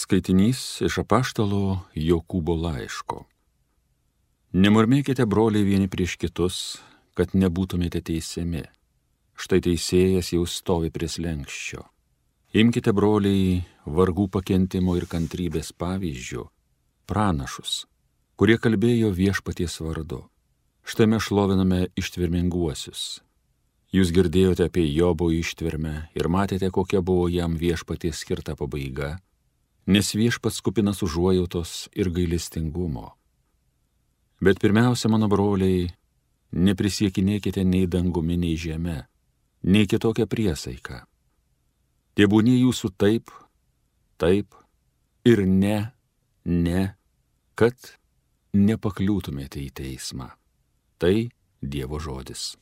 Skaitinys iš apaštalo Jokūbo laiško. Nemurmėkite, broliai, vieni prieš kitus, kad nebūtumėte teisiami. Štai teisėjas jau stovi prie slenksčio. Imkite, broliai, vargų pakentimo ir kantrybės pavyzdžių, pranašus, kurie kalbėjo viešpaties vardu. Štai mes šloviname ištverminguosius. Jūs girdėjote apie Jobo ištvermę ir matėte, kokia buvo jam viešpaties skirta pabaiga, nes viešpats kupinas užuojautos ir gailestingumo. Bet pirmiausia, mano broliai, neprisiekinėkite nei dangumi, nei žeme, nei kitokią priesaiką. Tebūnie jūsų taip, taip ir ne, kad nepakliūtumėte į teismą. Tai Dievo žodis.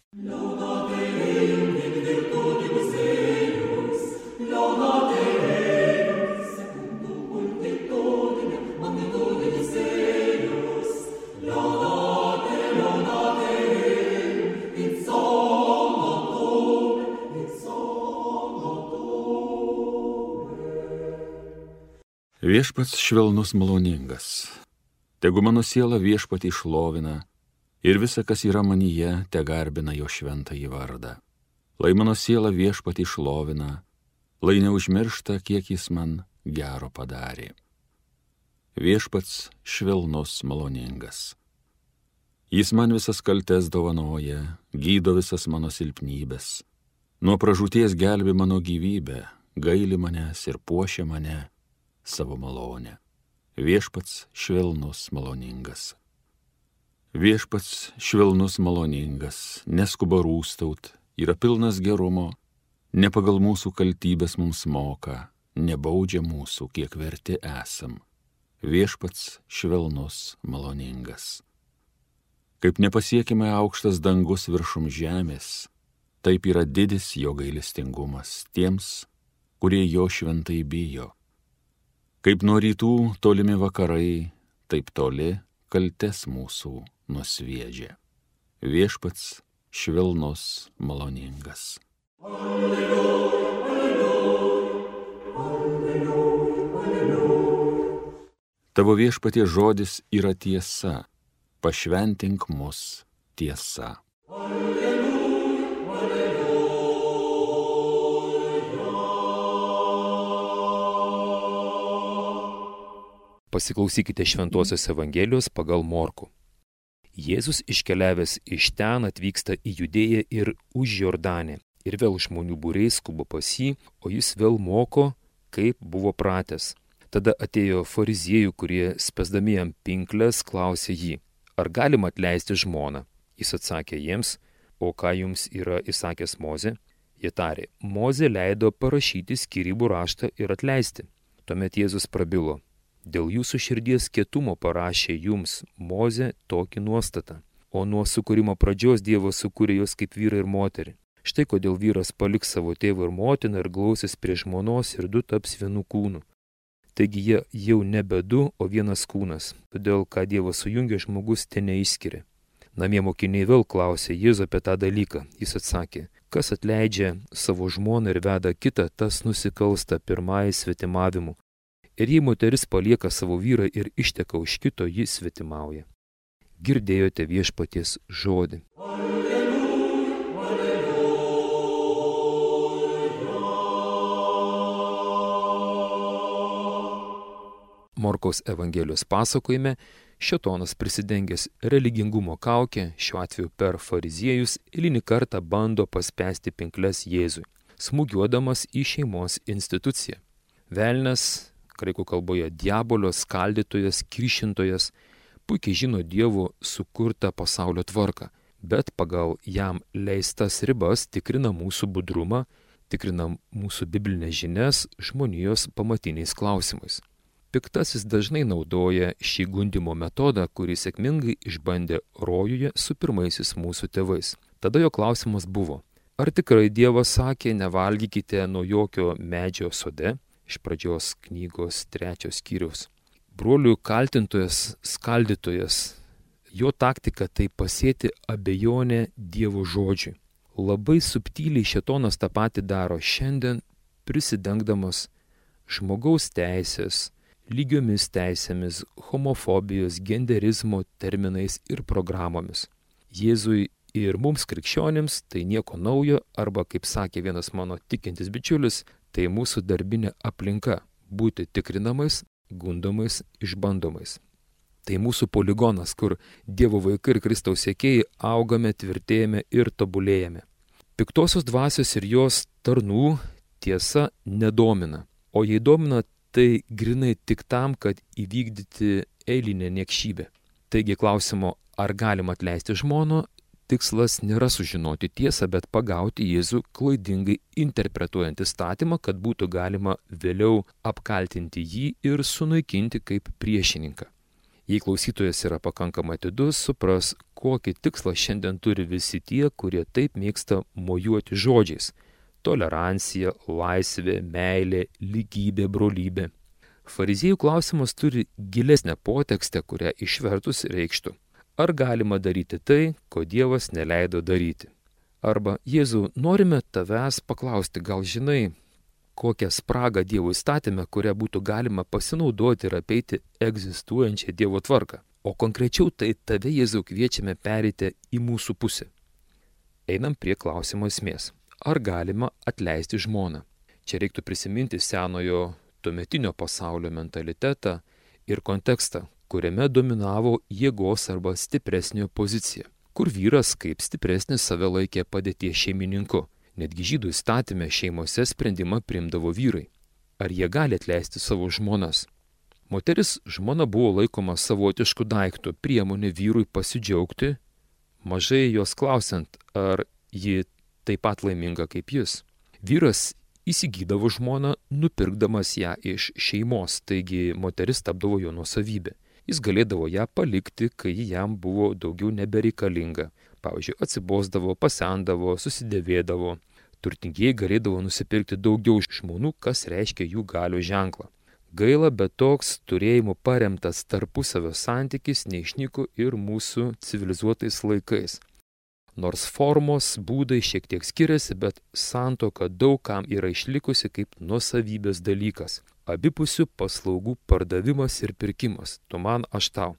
Viešpats švelnus maloningas. Tegu mano siela viešpatį šlovina ir visa, kas yra manyje, te garbina jo šventąjį vardą. Lai mano siela viešpatį šlovina, lai neužmiršta, kiek jis man gero padarė. Viešpats švelnus maloningas. Jis man visas kaltes dovanoja, gydo visas mano silpnybės. Nuo pražūties gelbi mano gyvybę, gaili manęs ir puošia mane savo malonę. Viešpats švelnus maloningas. Viešpats švelnus maloningas, neskuba rūstaut, yra pilnas gerumo, ne pagal mūsų kaltybės mums moka, nebaudžia mūsų, kiek verti esam. Viešpats švelnus maloningas. Kaip nepasiekime aukštas dangus viršum žemės, taip yra didis jo gailestingumas tiems, kurie jo šventai bijo. Kaip nuo rytų tolimi vakarai, taip toli kaltes mūsų nusviedžia. Viešpats švelnus maloningas. Alleluja, alleluja, alleluja, alleluja. Tavo viešpatie žodis yra tiesa, pašventink mus tiesa. Alleluja, alleluja. Pasiklausykite Šventosios Evangelijos pagal Morkų. Jėzus iškeliavęs iš ten atvyksta į Judėją ir už Jordanę, ir vėl žmonių būriai skuba pas jį, o jis vėl moko, kaip buvo pratęs. Tada atėjo fariziejų, kurie spęsdami jam pinkles klausė jį, ar galima atleisti žmoną. Jis atsakė jiems, o ką jums yra įsakęs Mozė? Jie tarė, Mozė leido parašyti skyrybų raštą ir atleisti. Tuomet Jėzus prabilo. Dėl jūsų širdies kietumo parašė jums Mozė tokį nuostatą, o nuo sukūrimo pradžios Dievas sukūrė juos kaip vyrą ir moterį. Štai kodėl vyras paliks savo tėvą ir motiną ir glausis prie žmonos ir du taps vienu kūnu. Taigi jie jau nebe du, o vienas kūnas, todėl ką Dievas sujungė, žmogus te neišskiria. Namie mokiniai vėl klausė Jėzų apie tą dalyką. Jis atsakė, kas atleidžia savo žmoną ir veda kitą, tas nusikalsta pirmąjį svetimavimu. Ir jei moteris palieka savo vyrą ir išteka už kito, jis svetimauja. Girdėjote viešpaties žodį. Alleluja, alleluja. Morkaus Evangelijos pasakojime šėtonas prisidengęs religingumo kaukę, šiuo atveju per fariziejus, eilinį kartą bando paspęsti pinkles Jėzui, smūgiuodamas į šeimos instituciją. Velnias, graikų kalboje diabolio skaldytojas, kiršintojas, puikiai žino Dievo sukurtą pasaulio tvarką, bet pagal jam leistas ribas tikrina mūsų budrumą, tikrina mūsų biblinės žinias žmonijos pamatiniais klausimais. Piktasis dažnai naudoja šį gundymo metodą, kurį sėkmingai išbandė rojuje su pirmaisiais mūsų tėvais. Tada jo klausimas buvo, ar tikrai Dievas sakė, nevalgykite nuo jokio medžio sode? Iš pradžios knygos 3 skyriaus. Brolių kaltintojas, skaldytojas, jo taktika tai pasėti abejonę Dievo žodžiui. Labai subtiliai šėtonas tą patį daro šiandien, prisidengdamas žmogaus teisės lygiomis teisėmis, homofobijos, genderizmo terminais ir programomis. Jėzui ir mums krikščionims tai nieko naujo, arba, kaip sakė vienas mano tikintis bičiulis, tai mūsų darbinė aplinka – būti tikrinamais, gundomais, išbandomais. Tai mūsų poligonas, kur Dievo vaikai ir Kristaus sekėjai augame, tvirtėjame ir tobulėjame. Piktosios dvasios ir jos tarnų tiesa nedomina, o jei domina, tai grinai tik tam, kad įvykdyti eilinę niekšybę. Taigi klausimo, ar galima atleisti žmoną, tikslas nėra sužinoti tiesą, bet pagauti Jėzų klaidingai interpretuojant įstatymą, kad būtų galima vėliau apkaltinti jį ir sunaikinti kaip priešininką. Jei klausytojas yra pakankamai atidus, supras, kokį tikslą šiandien turi visi tie, kurie taip mėgsta mojuoti žodžiais – tolerancija, laisvė, meilė, lygybė, brolybė. Fariziejų klausimas turi gilesnę potekstę, kurią išvertus reikštų: ar galima daryti tai, ko Dievas neleido daryti? Arba, Jėzau, norime tavęs paklausti, gal žinai, kokią spragą Dievo įstatyme, kurią būtų galima pasinaudoti ir apeiti egzistuojančią Dievo tvarką. O konkrečiau tai tave, Jėzau, kviečiame pereiti į mūsų pusę. Einam prie klausimo esmės. Ar galima atleisti žmoną? Čia reiktų prisiminti senojo tuometinio pasaulio mentalitetą ir kontekstą, kuriame dominavo jėgos arba stipresnio pozicija, kur vyras kaip stipresnis save laikė padėties šeimininku. Netgi žydų įstatyme šeimose sprendimą priimdavo vyrai. Ar jie gali atleisti savo žmonas? Moteris žmona buvo laikoma savotišku daiktu, priemonė vyrui pasidžiaugti, mažai jos klausiant, ar ji taip pat laiminga kaip jis. Vyras įsigydavo žmoną, nupirkdamas ją iš šeimos, taigi moteris tapdavo jo nuosavybė. Jis galėdavo ją palikti, kai ji jam buvo daugiau nebereikalinga. Pavyzdžiui, atsibosdavo, pasendavo, susidėvėdavo. Turtingieji galėdavo nusipirkti daugiau žmonų, kas reiškia jų galios ženklą. Gaila, bet toks turėjimu paremtas tarpusavio santykis neišnyko ir mūsų civilizuotais laikais. Nors formos, būdai šiek tiek skiriasi, bet santuoka daug kam yra išlikusi kaip nuosavybės dalykas. Abipusių paslaugų pardavimas ir pirkimas. Tu man, aš tau.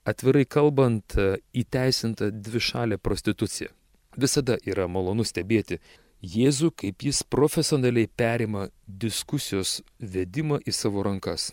Atvirai kalbant, įteisinta dvišalė prostitucija. Visada yra malonu stebėti Jėzų, kaip jis profesionaliai perima diskusijos vedimą į savo rankas.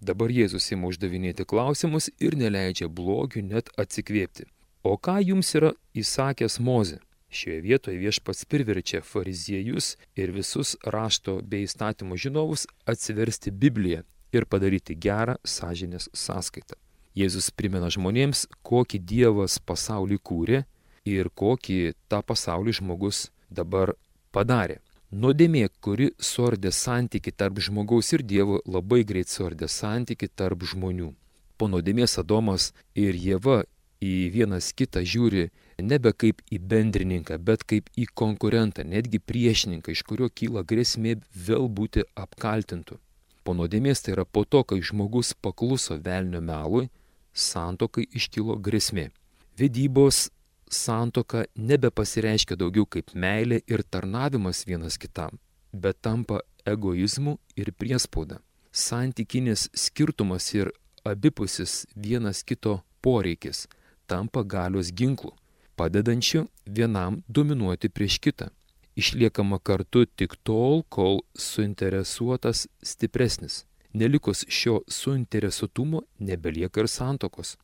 Dabar Jėzus ima uždavinėti klausimus ir neleidžia blogiui net atsikvėpti. O ką jums yra įsakęs Mozė? Šioje vietoje Viešpats priverčia fariziejus ir visus rašto bei įstatymų žinovus atsiversti Bibliją ir padaryti gerą sąžinės sąskaitą. Jėzus primena žmonėms, kokį Dievas pasaulį kūrė ir kokį tą pasaulį žmogus dabar padarė. Nuodėmė, kuri suardė santyki tarp žmogaus ir Dievo, labai greit suardė santyki tarp žmonių. Po nuodėmės Adomas ir Ieva į vienas kitą žiūri nebe kaip į bendrininką, bet kaip į konkurentą, netgi priešininką, iš kurio kyla grėsmė vėl būti apkaltintu. Po nuodėmės, tai yra po to, kai žmogus pakluso velnio melui, santuokai iškilo grėsmė. Vedybos santuoka nebepasireiškia daugiau kaip meilė ir tarnavimas vienas kitam, bet tampa egoizmu ir priespauda. Santykinis skirtumas ir abipusis vienas kito poreikis tampa galios ginklu, padedančiu vienam dominuoti prieš kitą. Išliekama kartu tik tol, kol suinteresuotas stipresnis. Nelikus šio suinteresuotumo nebelieka ir santuokos.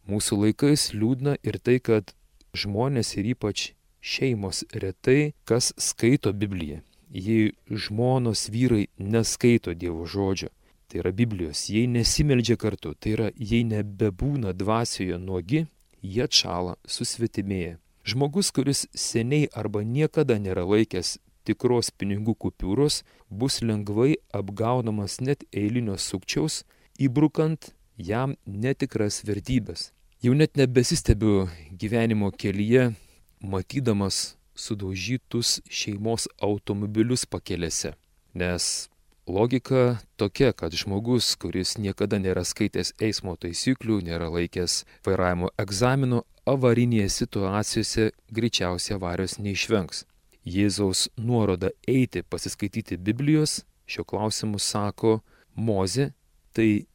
Mūsų laikais liūdna ir tai, kad žmonės ir ypač šeimos retai kas skaito Bibliją. Jei žmonos vyrai neskaito Dievo žodžio, tai yra Biblijos, jei nesimeldžia kartu, tai yra jei nebebūna dvasioje nuogi, jie atšąla, susvetimėja. Žmogus, kuris seniai arba niekada nėra laikęs tikros pinigų kupiūros, bus lengvai apgaunamas net eilinio sukčiaus, įbrukant jam netikras vertybės. Jau net nebesistebiu gyvenimo kelyje, matydamas sudaužytus šeimos automobilius pakelėse. Nes logika tokia, kad žmogus, kuris niekada nėra skaitęs eismo taisyklių, nėra laikęs vairavimo egzamino, avarinėje situacijose greičiausiai avarijos neišvengs. Jėzaus nuoroda eiti pasiskaityti Biblijos, šio klausimu sako Mozė, tai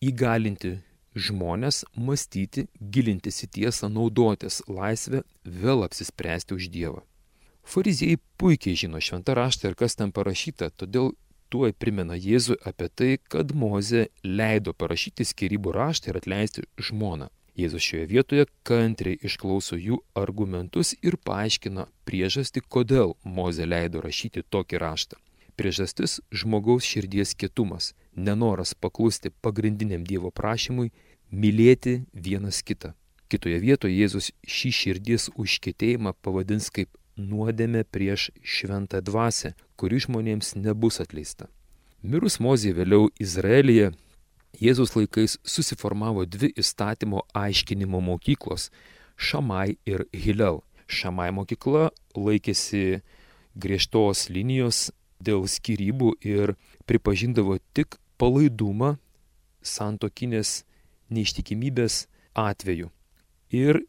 įgalinti žmonės mąstyti, gilintis į tiesą, naudotis laisvę, vėl apsispręsti už Dievą. Fariziejai puikiai žino šventą raštą ir kas ten parašyta, todėl tuoj primena Jėzui apie tai, kad Mozė leido parašyti skyrybų raštą ir atleisti žmoną. Jėzus šioje vietoje kantriai išklauso jų argumentus ir paaiškina priežastį, kodėl Mozė leido rašyti tokį raštą. Priežastis - žmogaus širdies kietumas, nenoras paklusti pagrindiniam Dievo prašymui mylėti vienas kitą. Kitoje vietoje Jėzus šį širdies užkietėjimą pavadins kaip nuodėmę prieš šventą dvasią, kuri žmonėms nebus atleista. Mirus Mozei vėliau Izraelyje, Jėzus laikais susiformavo dvi įstatymo aiškinimo mokyklos - Šamai ir Hilel. Šamai mokykla laikėsi griežtos linijos dėl skyrybų ir pripažindavo tik palaidumą santuokinės neištikimybės atveju. Ir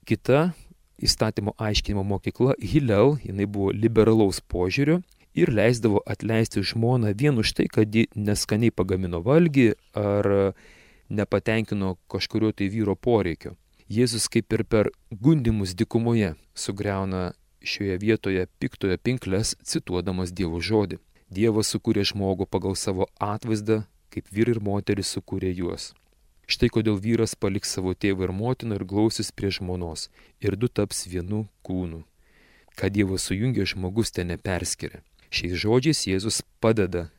kita įstatymo aiškinimo mokykla Hilel, jinai buvo liberalaus požiūrio ir leisdavo atleisti žmoną vien už tai, kad ji neskaniai pagamino valgį ar nepatenkino kažkurio tai vyro poreikio. Jėzus kaip ir per gundymus dykumoje sugriauna šioje vietoje piktojo pinkles, cituodamas Dievo žodį. Dievas sukūrė žmogų pagal savo atvaizdą, kaip vyrai ir moteris sukūrė juos. Štai kodėl vyras paliks savo tėvą ir motiną ir glausis prie žmonos, ir du taps vienu kūnu. Ką Dievas sujungė, žmogus ten neperskiria. Šiais žodžiais Jėzus padeda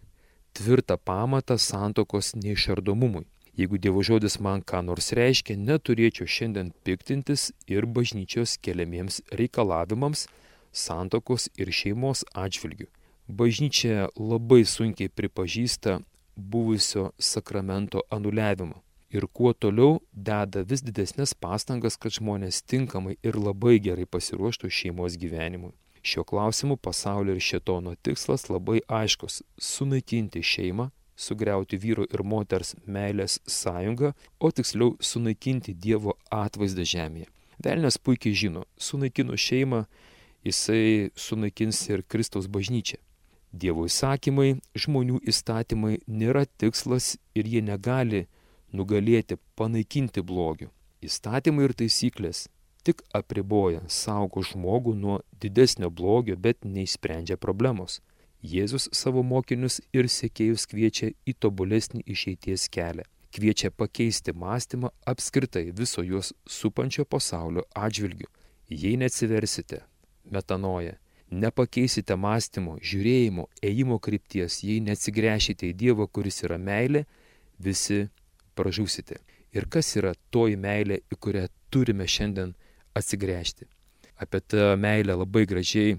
tvirtą pamatą santuokos neišardomumui. Jeigu Dievo žodis man ką nors reiškia, neturėčiau šiandien piktintis ir bažnyčios keliamiems reikalavimams santuokos ir šeimos atžvilgių. Bažnyčia labai sunkiai pripažįsta buvusio sakramento anuliavimą. Ir kuo toliau deda vis didesnės pastangas, kad žmonės tinkamai ir labai gerai pasiruoštų šeimos gyvenimui. Šiuo klausimu pasaulio ir šėtono tikslas labai aiškus - sunaikinti šeimą, sugriauti vyro ir moters meilės sąjungą, o tiksliau sunaikinti Dievo atvaizdą žemėje. Velnias puikiai žino, sunaikinus šeimą, jisai sunaikins ir Kristaus bažnyčią. Dievo įsakymai, žmonių įstatymai nėra tikslas ir jie negali nugalėti, panaikinti blogio. Įstatymai ir taisyklės tik apriboja, saugo žmogų nuo didesnio blogio, bet neišsprendžia problemos. Jėzus savo mokinius ir sekėjus kviečia į tobulesnį išeities kelią. Kviečia pakeisti mąstymą apskritai viso juos supančio pasaulio atžvilgiu. Jei neatsiversite, metanoja, nepakeisite mąstymo, žiūrėjimo, ėjimo krypties, jei neatsigręšite į Dievą, kuris yra meilė, visi pražūsite. Ir kas yra toji meilė, į kurią turime šiandien atsigręžti? Apie tą meilę labai gražiai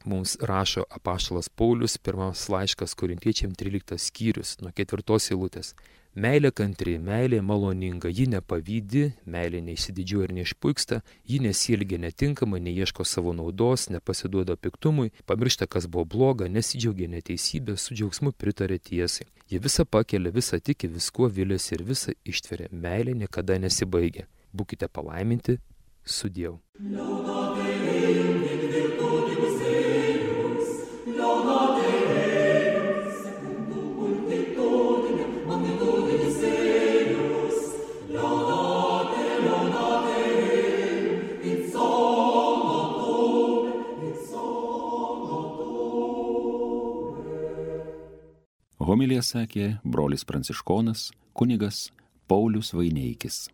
mums rašo apaštalas Paulius, pirmas laiškas Korintiečiam 13 skyrius, nuo 4 eilutės. Meilė kantri, meilė maloninga, ji nepavydi, meilė neišsididžiuoja ir neišpuiksta, ji nesielgia netinkamai, neieško savo naudos, nepasiduoda piktumui, pamiršta, kas buvo bloga, nesidžiaugia neteisybė, su džiaugsmu pritarė tiesai. Ji visą pakelia, visą tiki, viskuo viliasi ir visą ištveria. Meilė niekada nesibaigia. Būkite palaiminti su Dievu. Homiliją sakė brolis pranciškonas kunigas Paulius Vaineikis.